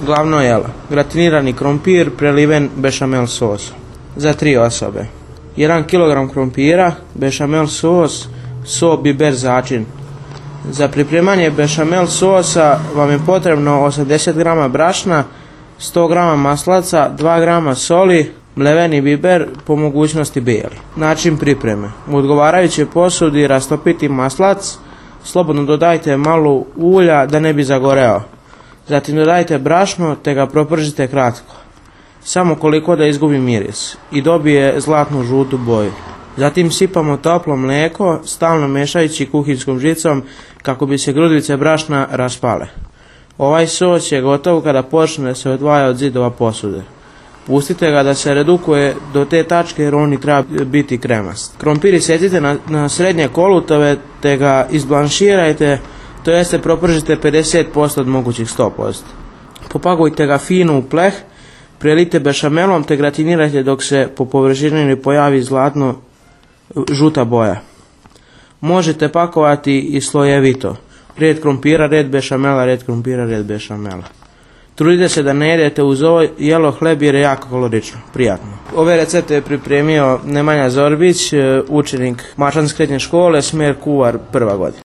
Glavno jelo: gratinirani krompir preliven bešamel sosom. Za 3 osobe: 1 kg krompira, bešamel sos, so, biber, začin. Za pripremanje bešamel sosa vam je potrebno 80 g brašna, 100 g maslaca, 2 g soli, mleveni biber, po mogućnosti bijeli. Način pripreme: u odgovarajućoj posudi rastopiti maslac, slobodno dodajte malo ulja da ne bi zagoreo. Zatim dodajte brašno te ga propržite kratko, samo koliko da izgubi miris i dobije zlatnu žutu boju. Zatim sipamo toplo mlijeko, stalno mešajući kuhinskom žicom kako bi se grudice brašna raspale. Ovaj sos je gotov kada počne da se odvaja od zidova posude. Pustite ga da se redukuje do te tačke jer on treba biti kremast. Krompir isecite na srednje kolutove te ga izblanširajte, to jeste propržite 50% od mogućih 100%. Popakujte ga fino u pleh, prelijte bešamelom te gratinirajte dok se po površini ne pojavi zlatno žuta boja. Možete pakovati i slojevito: red krompira, red bešamela, red krompira, red bešamela. Trudite se da ne jedete uz ovo jelo hleb jer je jako kalorično, prijatno. Ove recepte je pripremio Nemanja Zorbić, učenik Mačanske srednje škole, smjer kuvar, 1. godina.